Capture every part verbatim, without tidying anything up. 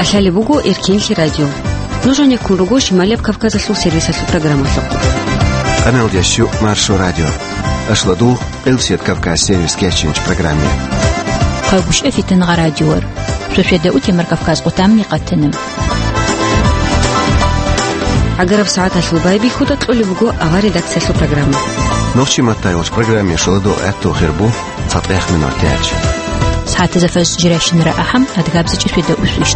Лъалеб буго Эркинлъи радио. Нуж гьанеккун руго Шималияб Кавказалъул сервисалъул программалъухъ. Къаналдящу Маршо радио. Ашладул Къилсият Кавказ сервис кечинч программе. Хъагушев Фитангъа радиор. Шошеда утемар Кавказ къутамни къатана. Агараб сагӀаталъул байбихьуда кьолеб буго авар редакциялъул программа. Нохчи маттайолч программе шоладо гӀатту хирбу. ЦатӀех минутач. СагӀатазда фажр жирашинра ахӀам, адгабзичӀи шведа усвищ.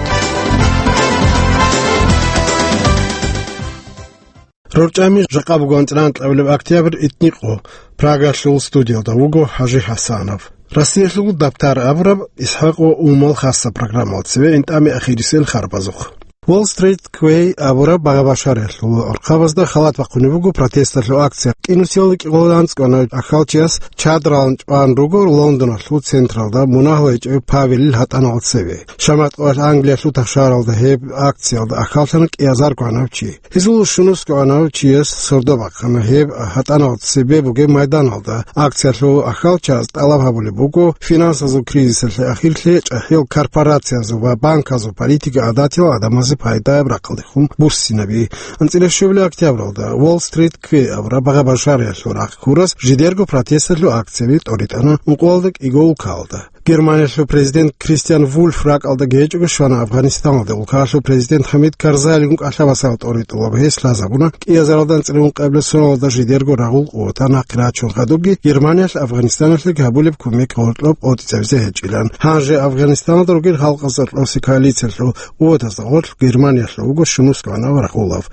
РорчӀами жакъа буго анцӀила анкьабилеб октябрь итникъо. Прагалъул студиялда вуго ХӀажи ХӀасанов. Россиялъул дабтар абураб ИсхӀакъ ва Умал хасаб программал цеве интӀами ахирисел харбазухъ. Wall Street Quay абураб багъа-башариялъул архъабазда халат бахъунеб буго протесталъул акция. КӀинусиялда кӀикъоялда анцӀгоана ахалчияс чадралан чӀван руго Лондоналъул централда мунагьал гьечӀев Павелил гьатӀаналда цеве. Шаматкъоялъ Англиялъул тахшаралда гьеб акциялда ахаллъана кӀиазар гванав чи. Гьезул щунус гванав чияс сордо бахъана гьеб гьатӀаналда цебе бугеб майданалда. Акциялъул ахалчияз тӀалаб гьабулеб буго финансазул кризисалъе ахирлъи чӀахӀиял корпорациязул ва банказул политика гӀадатиял гӀадамазе пайдаяб рахъалдехун буссинаби. АнцӀила щуабилеб октябралда Wall Street Quay абураб багъа-башариялъул рахъ ккурас жидерго протесталъул акцияби тӀоритӀана ункъоялда кӀиго улкалда. Германиялъул президент Кристиан Вульф ракӀалда гьечӀого щвана Афганистаналде. Улкаялъул президент ХӀамид Карзайилгун кӀалъабасал тӀоритӀулаб гьес лъазабуна кӀиазаралда анцӀила ункъабилеб соналда жидерго рагъул къуватал нахъе рачун хадубги Германиялъ Афганистаналъе гьабулеб кумек гъоркьоб къотӀизабизе гьечӀилан. Гьанже Афганистаналда ругел халкъазда кьоси коалициялъул къуватазда гъорлъ Германиялъул вуго щунус гванав рагъулав.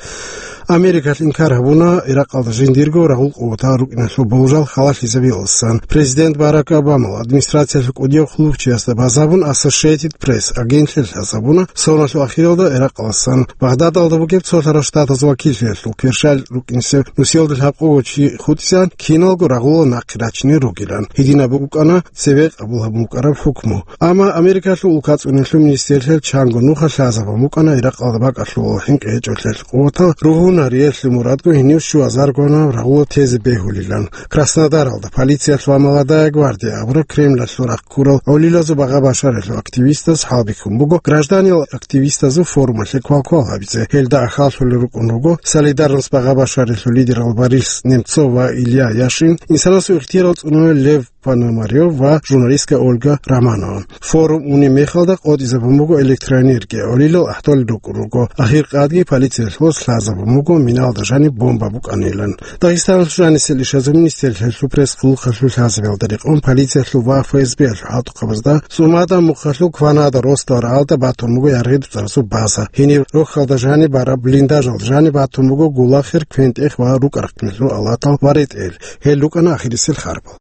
Америкалъ инкар гьабуна Иракъалда жиндирго рагъул къуватал рукӀиналъул болжал халалъизабиялдасан. Президент Барак Обамал администрациялъул кӀудияв хъулухъчиясда базабун Associated Press агентлъи лъазабуна, соналъул ахиралда Иракъалдасан Багъдадалда бугеб цолъарал штатазул вакиллъиялъул кверщал рукӀинсев нусиялда лъабкъого чи хутӀизан, киналго рагъула нахъе рачине ругилан. Гьединаб букӀана цеве къабул гьабун букӀараб хӀукму. Амма Америкалъул улкацӀунелъул министрлъиялъ чанго нуха лъазабун букӀана Иракъалда бакӀалъул хӀинкъи гьечӀолъиялъ къуватал ругьунариялъе мурадго гьенив щуазаргунаб рагъула тезе бегьулилан. Краснодаралда полициялъ ва «Молодая гвардия» абураб Кремлалъул рахъ ккурал гӀолилазул багъа-башариялъул активистаз хӀалбихьун буго гражданиял активистазул форумалъе квалквал гьабизе. Гьелда ахаллъулел рукӀун руго «Солидарность» багъа-башариялъул лидерал Борис Немцов ва Илья Яшин, инсанасул ихтияр цӀунарав Лев Пономарев ва журналистка Ольга Романова. Форум унеб мехалда къотӀизабун буго электроэнергия, гӀолилал ахӀдолел рукӀун руго. Ахир къадги полициялъ лъазабун буго миналда жаниб бомба букӀанилан. Дагъистаналъул жанисел ишазул министрлъиялъул пресс-хъулухъалъул лъазабиялда рекъон полициялъул ва ФСБ-ялъул хӀалтӀухъабазда ЦӀумада Мухъалъул кванада росдал рагӀалда батун буго яргъи-дуцӀарасул база. Гьениб рохьалда жаниб бараб блиндажалда жаниб батун буго гулахир, квен-тӀех ва рукӀа-рахъиналъул алатал ва ретӀел. Гьел рукӀана ахирисел харбал.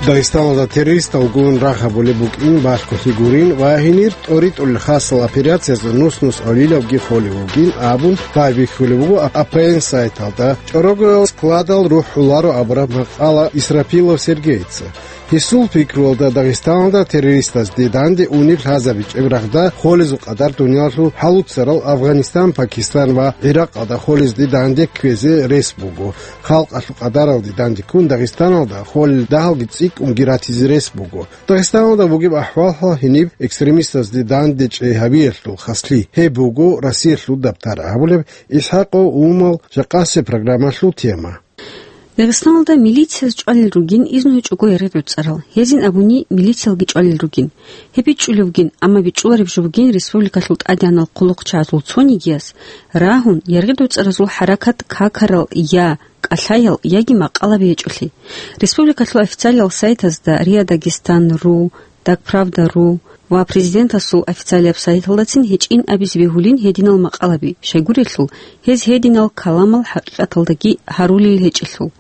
Дагъистаналда террористал гун рагъ гьабулеб букӀин балъголъи гурин ва гьенир тӀоритӀулел хасал операциязда нус-нус гӀолилавги холев вугин абун байбихьулеб буго А П Н сайталда. ЧӀорогоял складал рухӀуларо абураб макъала Исрапилов Сергейица. Гьесул пикруялда, Дагъистаналда террористазде данде унеб лъазабичӀеб рагъда холезул къадар дуниялалъул хӀалуцарал Афганистан, Пакистан ва ГӀиракъалда холезде данде кквезе рес буго. Халкъалъул къадаралде данде ккун Дагъистаналда холел дагьалги цӀикӀкӀунги ратизе рес буго. Дагъистаналда бугеб ахӀвал-хӀал гьениб экстремистазде данде чӀей гьабиялъул хаслъи. Гьеб буго Россиялъул дабтар абулеб ИсхӀакъ ва Умал жакъасеб программалъул тема. Дагъистаналда милицияз чӀвалел ругин изну гьечӀого яргъи-дуцӀарал. Гьезин абуни, милициялги чӀвалел ругин. Гьеб бичӀчӀулев вугин, амма бичӀчӀулареб жо бугин республикалъул тӀадегӀанал хъулухъчагӀазул цонигияс рагьун, яргъи-дуцӀаразул хӀаракат какарал я кӀалъаял, яги макъалаби гьечӀолъи. Республикалъул официалиял сайтазда РИА Дагестан ру, Дагправда ру ва президентасул официалияб сайталдацин гьечӀин абизе бегьулин гьединал макъалаби, щайгурелъул, гьез гьединал каламал хӀакъикъаталдаги гьарулел гьечӀелъул.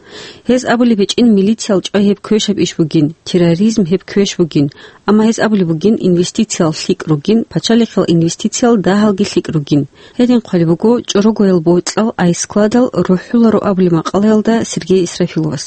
Гьез абулеб гьечӀин милициял чӀвай гьеб квешаб иш бугин, терроризм гьеб квеш бугин, амма гьез абулеб бугин инвестициял лъикӀ ругин, пачалихъал инвестициял дагьалги лъикӀ ругин. Гьедин хъвалеб буго чӀорогоял бокьал айскладал рухӀуларо абулеб макъалаялда Сергей Исрафиловас.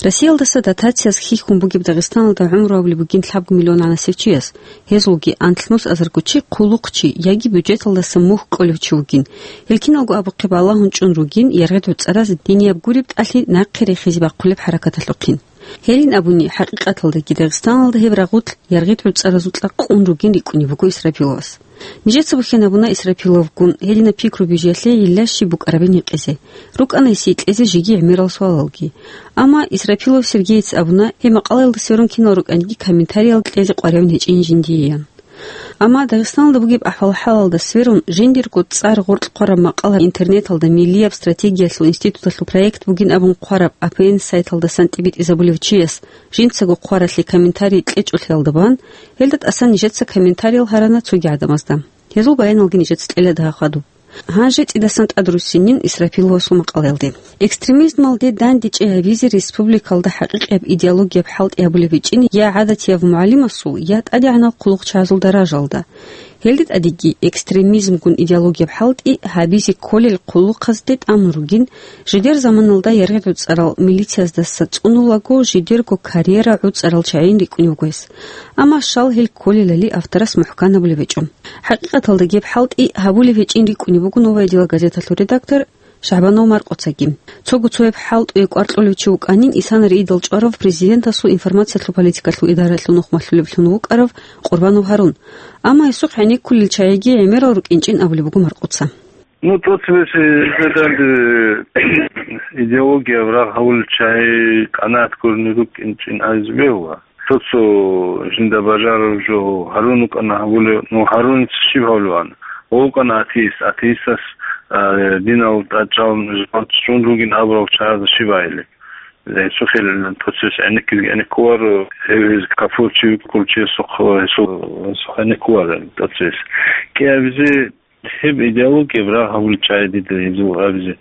Россиялдаса дотацияз хьихьун бугеб Дагъистаналда гӀумру гьабулеб бугин лъабго миллион гӀанасев чияс, гьезулги анлънус азарго чи хъулухъчи яги бюджеталдаса мухь кьолев чи вугин. Гьел киналго абухъе балагьун чӀун ругин яргъид гӀуцӀараз динияб гуреб тӀалъи нахъе рехизе бахъулеб хӀаракаталъухъин. Гьелин абуни, хӀакъикъаталдаги Дагъистаналда гьеб рагъулъ яргъид гӀуцӀаразукьа къун ругин рикӀкӀунеб буго Исрапиловас. Нижеца бухьен абуна Исрапиловгун гьединаб пикру бижиялъе гьелда щиб букӀарабин гьикъизе. РукӀана гьесие кьезе жеги гӀемерал суалалги. Амма Исрапилов Сергеец абуна, гьеб макъалаялда сверун кинал рукӀаниги комментариял кьезе къваригӀун гьечӀин жиндиеян. Амма Дагъистаналда бугеб ахӀвал-хӀалалда сверун, жиндирго цӀар гъоркь хъвараб макъала интернеталда Миллияб стратегиялъул институталъул проект бугин абун хъвараб А П Н сайталдасан тӀибитӀизабулев чияс жинцаго хъваралъе комментарий кьечӀолъиялда бан, гьелда тӀасан нижеца комментариял гьарана цоги гӀадамазда. Гьезул баяналги нижеца кьела дагьа хадуб. Гьанже цӀидасан тӀадруссинин Исрапиловасул макъалаялде. Экстремизмалде дандечӀей гьабизе республикалда хӀакъикъияб идеологияб хӀалтӀи гьабулеб гьечӀин я гӀадатияв мугӀалимасул, я тӀадегӀанав хъулухъчагӀазул даражалда. Гьелде тӀадеги экстремизмгун идеологияб хӀалтӀи гьабизе кколел хъулухъазде тӀамун ругин, жидер заманалда яргъид гӀуцӀарал милицияздаса цӀунулаго жидерго карьера гӀуцӀарал чагӀин рикӀкӀунев гьес. Амма щал гьел кколелали авторас мухӀкан гьабулеб гьечӀо. ХӀакъикъаталда гьеб хӀалтӀи гьабулеб гьечӀин рикӀкӀунеб буго «Новое дело» газеталъул редактор Шагьбанов Маркъоцаги. Цого цояб хӀалтӀуе кӀвар кьолев чи вукӀанин исана риидал чӀварав президентасул информациялъул политикалъул идаралъул нухмалъулеблъун вукӀарав Къурбанов Гьарун. Амма гьесухъ гӀенеккулел чагӀиги гӀемерал рукӀинчӀин абулеб буго Маркъоца. Ну, тӀоцебесеб данде идеологияб рагъ гьавулел чагӀи къанагӀат гурони рукӀинчӀин абизе бегьула. Цо-цо жинда бажараб жо гьарун вукӀана гьабулев, ну, гьарунец щиб гьавулеван? ВукӀана атеист, атеистас, а, динал тӀадчӀал жал чӀун ругин абурал чагӀазда щиб гьайилеб? Гьесухъ гьел тӀоцебесеб гӀенеккизеги гӀенеккувар, гьев гьез капурчи вукӀулчиясухъ гьесухъ гьенеккувар тӀоцебесеб. КӀиабизе Гьеб идеологияб рагъ гьабулел чагӀи дида гьезул абизе.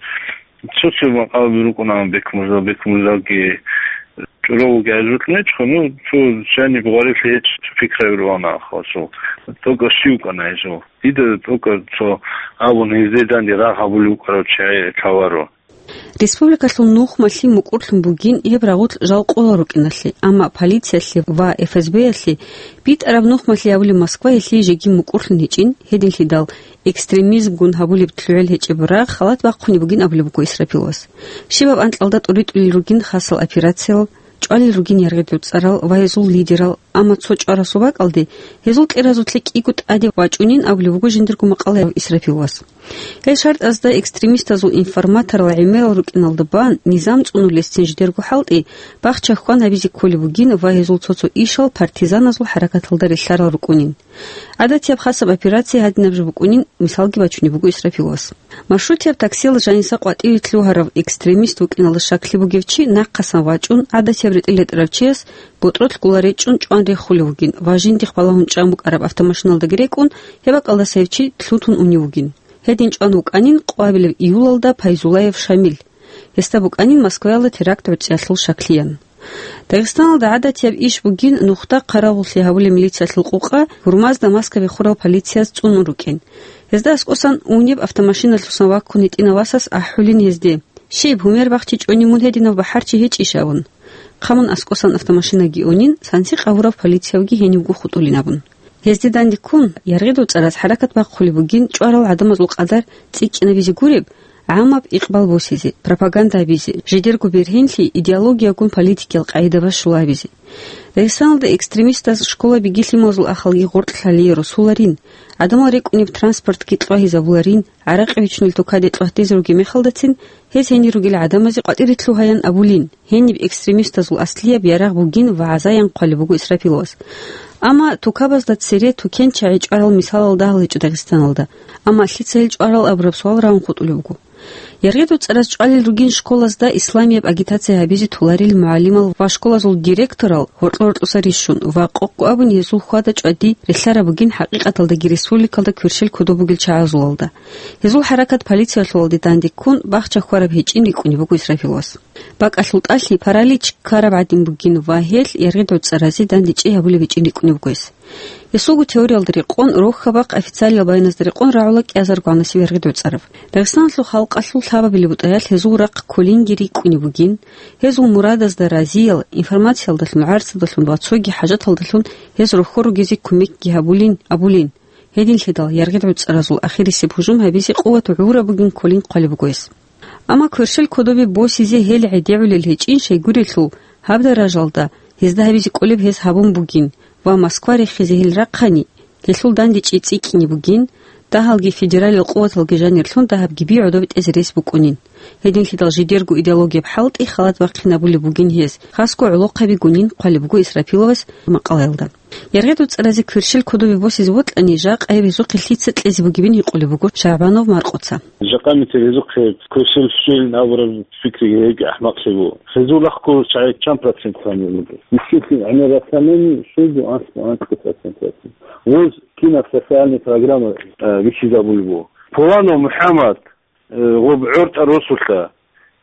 Цо-цо макъалаби рукӀуна Бекмурзал, Бекмурзалги чӀурав вугев гьезул нечӀо, ну, цо жаниб гъварилъи гьечӀо, цо пикраби руана ахалъул. ТӀокӀаб щив вукӀана гьезул? Дида тӀокӀаб цо абун гьезде данде рагъ гьабулев вукӀарав чагӀи лъаларо. Республикалъул нухмалъи мукӀурлъун бугин гьеб рагъулъ жал къола рукӀиналъе, амма полициялъе ва Ф С Б-ялъе битӀараб нухмалъи абулеб Москваялъе жеги мукӀурлъун гьечӀин, гьединлъидал экстремизмгун гьабулеб лъугӀел гьечӀеб рагъ халат бахъунеб бугин абулеб буго Исрапиловас. Щибаб анкьалда тӀуритӀулел ругин хасал операциял, чӀвалел ругин яргъидул цӀарал ва гьезул лидерал, амма цо чӀварасул бакӀалде гьезул кьеразулъе кӀиго тӀаде вачӀунин абулеб буго жиндирго макъалаялъ Исрапиловас. Гьел шартӀазда экстремистазул информаторал гӀемерал рукӀиналда бан, низам цӀунулесцин жидерго хӀалтӀи, бахча-хьван гьабизе кколеб бугин ва гьезул цо-цо ишал партизаназул хӀаракаталда релълъарал рукӀунин. ГӀадатияб хасаб операция гьадинаб жо букӀунин мисалги бачунеб буго Исрапиловас. Маршрутияб таксиял жаниса къватӀиве лъугьарав экстремист вукӀиналда щаклъи бугев чи нахъасан вачӀун, гӀадатияб ретӀел ретӀарав чияс ботӀролъ гула речӀчӀун чӀван рехулев вугин ва жиндихъ балагьун чӀан букӀараб автомашиналдаги рекӀун, гьеб бакӀалдаса гьев чи лъутун унев вугин. Гьедин чӀван вукӀанин къвабилеб июлалда Пайзулаев Шамил. Гьесда букӀанин Москваялда теракт гӀорцӀиялъул щаклъиян. Дагъистаналда гӀадатияб иш бугин нухда хъаравуллъи гьабулеб милициялъул къукъа гьурмазда маска бехурал полицияз цӀунун рукӀин. Гьезда аскӀосан унеб автомашиналъусан ваккун гьитӀинав васас ахӀулин гьезде: «Щиб, гьумер бахчичӀони мун гьединав бахӀарчи гьечӀищ?» — абун. Хъамун аскӀосан автомашинаги унин, санси къагьурав полициявги гьенивго хутӀулин абун. Гьезде данде ккун, яргъидул цӀараз хӀаракат бахъулеб бугин чӀварал гӀадамазул къадар цӀикӀкӀинабизе гуреб, гӀамаб икъбал босизе, пропаганда гьабизе, жидерго бергьенлъи идеологиягун политикиял къагӀида бащулабизе. Дагъистаналда экстремистаз школаби гилъималзул ахалги гъоркьлъалие росуларин, гӀадамал рекӀунеб транспортги кьвагьизабуларин, гӀаракь бичунел тукаде кьвагьтезе ругеб мехалдацин, гьез гьенир ругел гӀадамазе къватӀире лъугьаян абулин, гьениб экстремистазул аслияб ярагъ бугин вагӀзаян хъвалеб буго Исрапиловас. Амма тукабазда цере тукенчагӀи чӀварал мисалал дагьал гьечӀо Дагъистаналда. Амма лъица гьел чӀварал абураб суал рагӀун хутӀулеб буго. Яргъидул цӀараз чӀвалел ругин школазда исламияб агитация гьабизе толарил мугӀалимал ва школазул директорал гьоркьо-гьоркьоса рищун ва къокъго абун гьезул хьвада-чӀвади релълъараб бугин хӀакъикъаталдаги республикалда кверщел кодоб бугел чагӀазулалда. Гьезул хӀаракат полициялъулалде данде ккун, бахча хьвараб гьечӀин рикӀкӀунеб буго Исрапиловас. БакӀалъул тӀалъи паралич ккараб гӀадин бугин ва гьелъ яргъидул цӀаразе данде чӀей гьабулеб гьечӀин рикӀкӀунеб буго гьес. Гьесулго теориялда рекъон, рохьабахъ официалиял байиназда рекъон рагӀула кӀиазарго гьанасеб яргъи доцӀараб. Дагъистаналъул халкъалъул лъабабилеб бутӀаялъ гьезул рахъ кколингири кӀунеб бугин, гьезул мурадазда разиял, информациялдалъун, гӀарцадалъун ва цоги хӀажаталдалъун гьез рохьор ругезе кумекги гьабулин абулин. Гьединлъидал яргъи доцӀаразул ахирисеб гьужум гьабизе къуват гӀураб бугин кколин хъвалеб буго гьес. Амма кверщел кодобе босизе гьел гӀедегӀулел гьечӀин, щайгурелъул, гьаб даражалда гьезда гьабизе кӀолеб гьез гьабун бугин ва Москва рехизе гьел рахъани, гьелъул дандечӀи цӀикӀкӀине бугин, дагьалги федералил къуваталги жанирлъун дагьабги би гӀодобе тӀезе рес букӀунин. Гьединлъидал жидерго идеологияб хӀалтӀи халат бахъинабулеб бугин гьез, хасго гӀолохъаби гунин хъвалеб буго Исрапиловас макъалаялда. Яргъи доцӀаразе кверщел кодобе босизе бокьани, жакъа гьеб гьезухъе лъица кьезе бугебин гьикъулеб буго Шагьбанов Маркъоца. Жакъа митер гьезухъе кверщел щвелин абураб пикри гьебги ахӀмакълъи буго. Гьезул рахъго чагӀи чан процент хванилан? Мискинлъи гӀемер ратанани, щуго, анцӀго, анцӀго процент ратин. Гъоз кинаб социальный программа, э, бихьизабулеб буго. Пуланов МухӀаммад, э, гъоб гӀортӀа росулъа.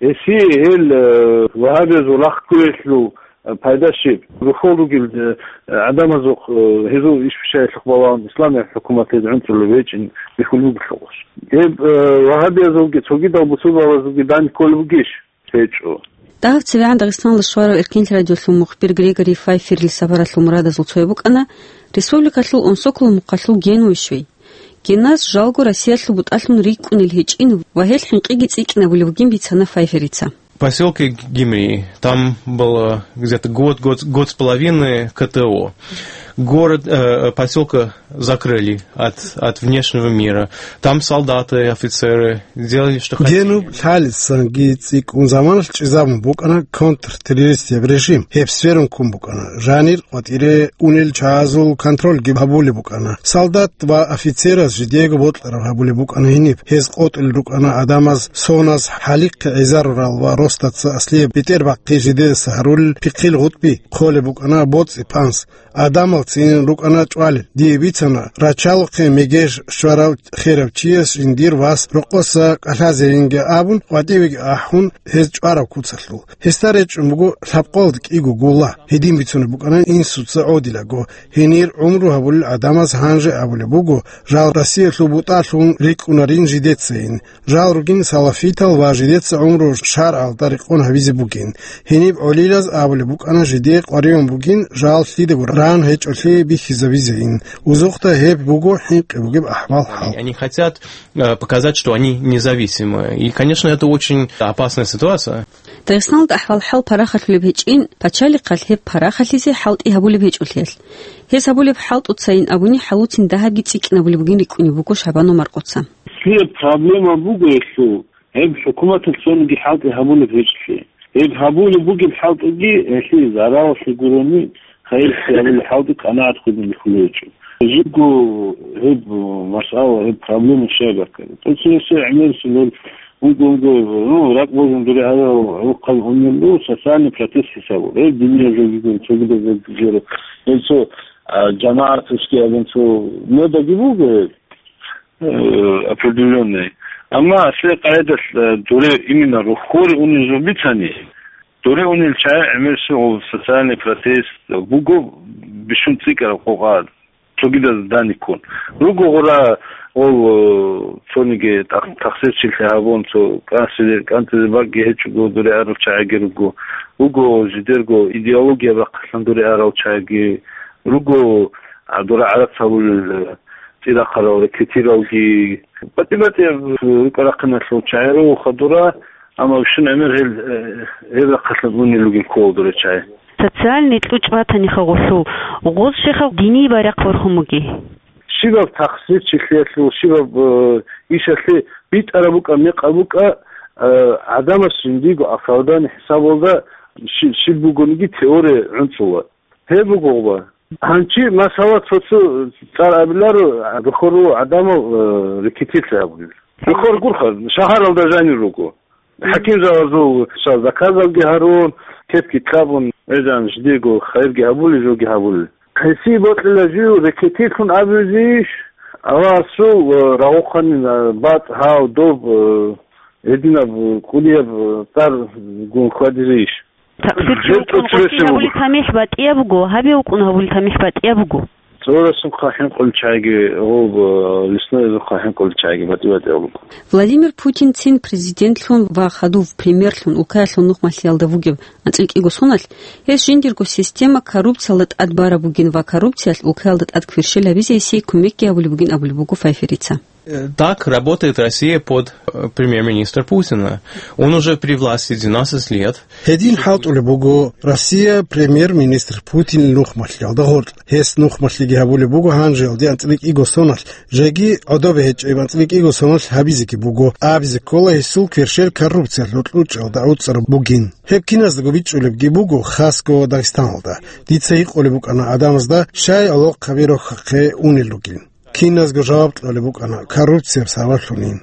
Гьесие гьел, э, вагьабиязул рахъ кквеялъул, э, пайда щиб? Рохьол ругел, э, гӀадамазухъ, э, гьезул иш-пишаялъухъ балагьун исламияб хӀукумат гьез гӀунтӀулев гьечӀин бихьулеб буго гъос. Гьеб, э, вагьабиязулги цогидал бусурбабазулги дани кколеб бугищ? ГьечӀо. Дагьаб цебегӀан Дагъистаналда щварав Эркенлъи радиолъул мухбир Григорий Файферил сапаралъул мурадазул цояб букӀана республикалъул Онсоколо мухъалъул Генуе щвей. Генас жалго Россиялъул бутӀалъун рикӀкӀунел гьечӀин ва гьел хӀинкъиги цӀикӀкӀинабулеб бугин бицана Файферица. В посёлке Гимри, там было где-то год, год, год с половиной К Т О. Город, э, посёлка закрыли от, от внешнего мира. Там солдаты, офицеры делали, что хотели. Генуб лъалисанги цӀикӀкӀун заманалъ чӀезабун букӀана контртеррористияб режим. Гьеб сверун ккун букӀана. Жанир къватӀире унел чагӀазул контрольги гьабулеб букӀана. Солдат ва офицераз жидеего бокьараб гьабулеб букӀана гьениб. Гьез къотӀулел рукӀана гӀадамаз соназ хӀалихъе гӀезарурал ва росдаца аслияб бетӀербахъи жидедаса гьарулел пихъил гъутӀби, хъолеб букӀана боцӀи-панс. Гьадамал цинин рукӀана чӀвалел. Дие бицана, рачалухъе мегеж щварав херав чияс жиндир вас рокъоса кӀалъазейинги абун, къватӀивеги ахӀун, гьез чӀвараб куцалъул. Гьесда речӀчӀун буго лъабкъоялда кӀиго гулла. Гьедин бицунеб букӀана инсуца гӀодилаго. Гьенир гӀумру гьабулел гӀадамаз гьанже абулеб буго, жал Россиялъул бутӀалъун рикӀкӀунарин жидецайин. Жал ругин салафитал ва жидеца гӀумру шаргӀалда рекъон гьабизе бугин. Гьениб гӀолилаз абулеб букӀана жидее къваригӀун бугин жал лъидаго ран гьечӀолъи бихьизабизейин. Узухъда гьеб буго хӀинкъи бугеб ахӀвал-хӀал. Они хотят, э, показать, что они независимы. И, конечно, это очень опасная ситуация. Дагъистаналда ахӀвал-хӀал парахалъулеб гьечӀин, пачалихъалъ гьеб парахалъизе хӀалтӀи гьабулеб гьечӀолъиялъ. Гьез гьабулеб хӀалтӀуцайин абуни хӀалуцин дагьабги цӀикӀкӀинабулеб бугин рикӀкӀунеб буго Шагьбанов Маркъоца. Лъияб проблема буго гьелъул, гьеб хӀукуматалъ цониги хӀалтӀи гьабулеб гьечӀолъи. Гьеб гьабулеб бугеб хӀалтӀиги гьелъие заралалъе гурони, хайирлъи гьабулеб хӀалтӀи къанагӀат хъугьине хьулев гьечӀо. Жибго гьеб масъала, гьеб проблема щай баккараб? ТӀоцебесеб гӀемерисел гьел унго-унго, ну, ракӀ божун дуре гьарав гӀурхъал унелъул социальный протест хӀисабур. Гьеб диниял жогигун, цогидал жогигун. Гьел цо, а, жамагӀат русский абун цо модаги буго гьеб, э, определённый. Амма асле къайдалъ, э, дуре именно рохьоре унел жо бицани, дуре унел чагӀи гӀемерисел социальный протест буго бищун цӀикӀкӀараб къокъа. Цогидаз даниккун. Руго гъура, ол, э, цониги тах-, тахсирчилъи гьабун, цо кӀанцӀизе, кӀанцӀизе бакӀги гьечӀого дуре арал чагӀиги руго. Руго жидерго идеология бахъалъан дуре арал чагӀиги руго, а, дура гӀарац гьабулел, э, цӀирахъарал, рекетиралги. БатӀи-батӀияб рукӀа-рахъиналъул чагӀи руго хадура, амма бищун гӀемер гьел, э, гьел рахъалъан унел ругин ккола дуре чагӀи. Социальный кьучӀ батаниха гъолъул, гъоз щихъа диние байрахъ борхун буги. Щибаб тахсирчилъиялъул, щибаб, э, ишалъе битӀараб букӀа, мекъаб букӀа, э, гӀадамас жиндиего оправдание хӀисабалда щи-, щиб бугониги теория гӀунцӀула. Гьеб буго гъуба. Гьанчи масала цо-цо цӀар абиларо, рохьор руго гӀадамал, э, рекетирлъи гьабулел. Рохьор гурха, шагьаралда жанир руго. ХӀакимзабазул ша заказалги гьарун, кепги кьабун, гӀезан жидего хайирги гьабулел, жоги гьабулел. Гьесие бокьила жив рекетирлъун абизейищ? Аллагьасул, э, рагъухъанин, э, бацӀ, гьав, доб, э, гьединаб, э, кӀудияб, э, цӀар гун хьвадизейищ? Такъсир чи вукӀун гъосие гьабулеб тамихӀ батӀияб буго, гьабе вукӀун гьабулеб тамихӀ батӀияб буго. ЦӀорасухъа хӀинкъулел чагӀиги, гъоб, э, лесноязухъа хӀинкъулел чагӀиги батӀи-батӀиял руго. Владимир Путинцин президентлъун ва хадув премьерлъун улкаялъул нухмалъиялда вугев анцӀила кӀиго соналъ, гьес жиндирго система коррупциялда тӀад бараб бугин ва коррупциялъ улкаялда тӀад кверщел гьабизе гьесие кумекги гьабулеб бугин абулеб буго Файферица. Э, так работает Россия под, э, премьер-министр Путина. Он уже при власти двенадцать лет. Гьедин хӀалтӀулеб буго Россия премьер-министр Путинил нухмалъиялда гъоркь. Гьес нухмалъиги гьабулеб буго гьанжеялде анцӀила кӀиго соналъ, жеги гӀодобе гьечӀеб анцӀила кӀиго соналъ гьабизеги буго, абизе ккола гьесул кверщел коррупциялъул кьучӀалда гӀуцӀараб бугин. Гьеб киназдаго бичӀчӀулебги буго, хасго Дагъистаналда. Дица гьикъулеб букӀана гӀадамазда, щай гӀолохъаби рохьахъе унел ругин. Киназго жаваб кьолеб букӀана коррупцияб сабаблъунин.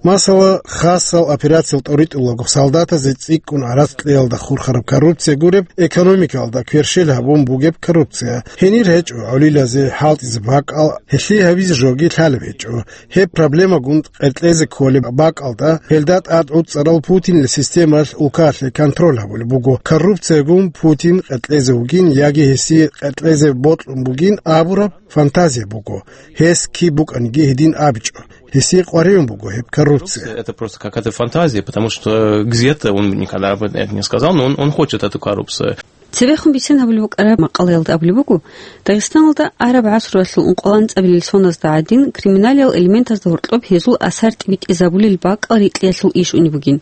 Масала, хасал операциял тӀоритӀулаго солдатазе цӀикӀкӀун гӀарац кьеялда хурхараб коррупция гуреб, экономикалда кверщел гьабун бугеб коррупция. Гьенир гьечӀо гӀолилазе хӀалтӀизе бакӀал, гьелъие гьабизе жоги лъалеб гьечӀо. Гьеб проблемагун къеркьезе кколеб бакӀалда, гьелда тӀад гӀуцӀарал Путинил системалъ улкалъе контроль гьабулеб буго. Коррупциягун Путин къеркьезе вугин яги гьесие къеркьезе бокьун бугин абураб фантазия буго. Гьес киб букӀаниги гьедин абичӀо. Гьесие къваригӀун буго гьеб коррупция. Это просто какая-то фантазия, потому что где-то он никогда об этом не сказал, но он, он хочет эту коррупцию. Цебехун бицен гьабулеб букӀараб макъалаялда абулеб буго, Дагъистаналда араб гӀасруялъул ункъоялда анцӀабилел соназда гӀадин криминалиял элементазда гьоркьоб гьезул асар тӀибитӀизабулел бакӀал рикьиялъул иш унеб бугин.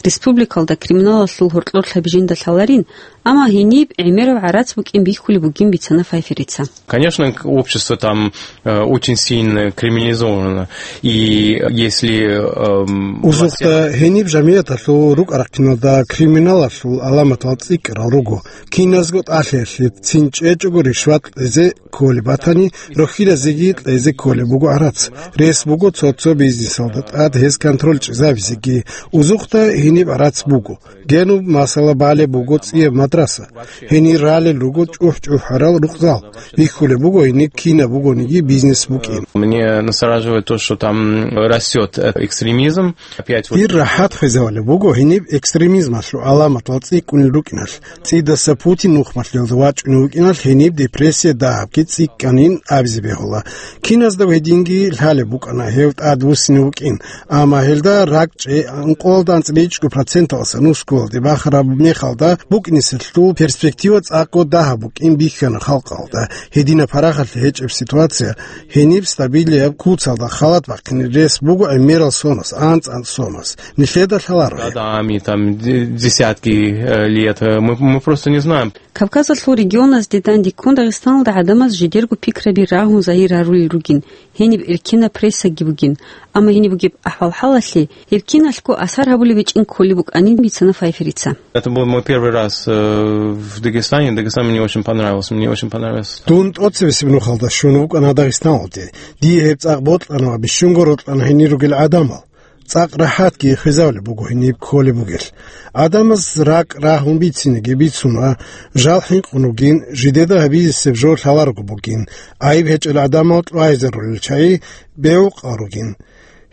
Республикалда криминалалъул гьоркьор лъабижинда лъаларин, амма гьениб гӀемераб гӀарац букӀин бихьулеб бугин бицана Файферица. Конечно, к-, общество там, э, очень сильно криминализовано. И если, эм, Узухъда гьениб жамигӀаталъул рукӀа-рахъиналда криминалалъул гӀаламатал цӀикӀкӀарал руго. Киназго тӀалъиялъе цин чӀечӀого ришват кьезе кколеб батани, рохьилазеги кьезе кколеб буго гӀарац. Рес буго цо-цо бизнесалда тӀад гьез контроль чӀезабизеги. Узухъда гьениб гӀарац буго. Гьениб масала балеб буго цӀияб мадраса. Гьенир ралел руго чӀухӀ-чӀухӀарал рукъзал. Бихьулеб буго гьениб кинаб бугониги бизнес букӀин. Мне настораживает то, что там растёт, э, экстремизм. Опять вот. Дир рахӀат хвезавулеб буго гьениб экстремизмалъул гӀаламатал цӀикӀкӀунел рукӀиналъ. ЦӀидаса Путин нухмалъиялда вачӀунев вукӀиналъ гьениб депрессия дагьабги цӀикӀкӀанин абизе бегьула. Киназда гьединги лъалеб букӀана гьев тӀадвуссине вукӀин. Амма гьелда ракӀчӀей ункъоялда анцӀила ичӀго проценталдаса нусгоялде бахараб мехалда букӀинеселъул перспектива цӀакъго дагьаб букӀин бихьана халкъалда. Гьединаб парахалъи гьечӀеб ситуация гьениб стабилияб куцалда халат бахъине рес буго гӀемерал сонас, анцӀ-анцӀ сонас. Нилъеда лъаларо гьеб. Годами, там, де-, десятки, э, лет, э, мы, мы просто не знаем. Кавказалъул регионазде дандеккун Дагъистаналда гӀадамаз жидерго пикраби рагьун загьир гьарулел ругин, гьениб эркенаб прессаги бугин, амма гьениб бугеб ахӀвал-хӀалалъе гьеб киналъго асар гьабулеб гьечӀин кколеб букӀанин бицана Файферица. Это был мой первый раз, э, в Дагестане. Дагестан мне очень понравился, мне очень понравился. Дун тӀоцебесеб нухалда щун вукӀана Дагъистаналде. Дие гьеб цӀакъ бокьана ва бищунго рокьана гьенир ругел гӀадамал. ЦӀакъ рахӀатги хвезавулеб буго гьениб кколеб бугелъ. ГӀадамаз ракӀ рагьун бицинеги бицуна, жал хӀинкъун вугин, жидеда гьабизесеб жо лъаларого бугин, гӀайиб гьечӀел гӀадамал чӀвайзарулел чагӀи бегьукъал ругин.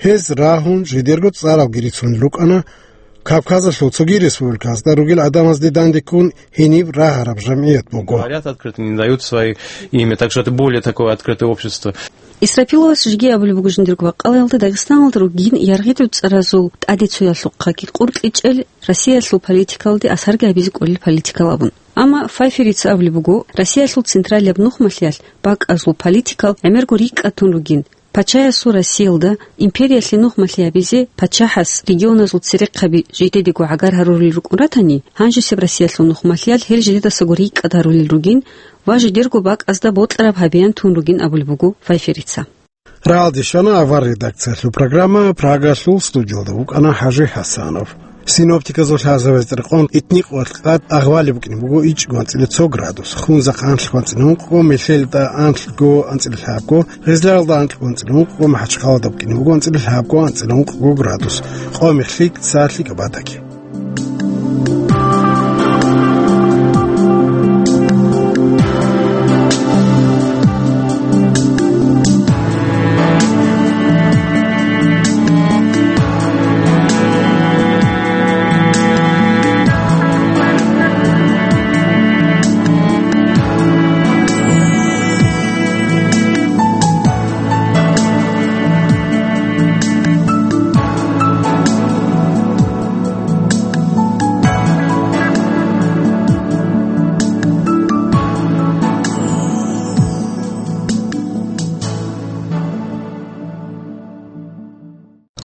Гьез рагьун жидерго цӀаралги рицунел рукӀана, Кавказалъул цоги республикаялда ругел гӀадамазде дандеккун гьениб рагьараб жамгӀият буго. Говорят открыто, не дают свои имя, так что это более такое открытое общество. Исрапиловас жеги абулеб буго жиндирго бакъалаялда Дагъистаналда ругин яргъи дуцӀаразул тӀадеццоялъухъаги къуркьичӀел Россиялъул политикалде асарги гьабизе кӀолел политикал абун. Амма Файферица абулеб буго, Россиялъул централияб нухмалъиялъ бакӀазул политикал гӀемерго рикӀкӀад тун ругин. Пачаясул Россиялда империялъе нухмалъи гьабизе пачахӀас регионазул церехъаби жидедего гӀагар гьарурел рукӀун ратани, гьанжесеб Россиялъул нухмалъиялъ гьел жидедасаго рикӀкӀад гьарулел ругин ва жидерго бакӀазда бокьараб гьабеян тун ругин абулеб буго Файферица. Рагьалде щвана авар редакциялъул программа, Прагалъул студиялда вукӀана ХӀажи ХӀасанов. Синоптиказул лъазабазда рекъон, итникъ ва къад агъвали букӀине буго ичӀго анцӀила цо градус, хунзахъ анлъго анцӀила ункъго, мехьелда анлъго анцӀила лъабго, гъезлаялда анлъго анцӀила ункъго, МахӀачхъалада букӀине буго анцӀила лъабго, анцӀила ункъго градус, къо-мехьлъи, цалъи, кӀабадаги.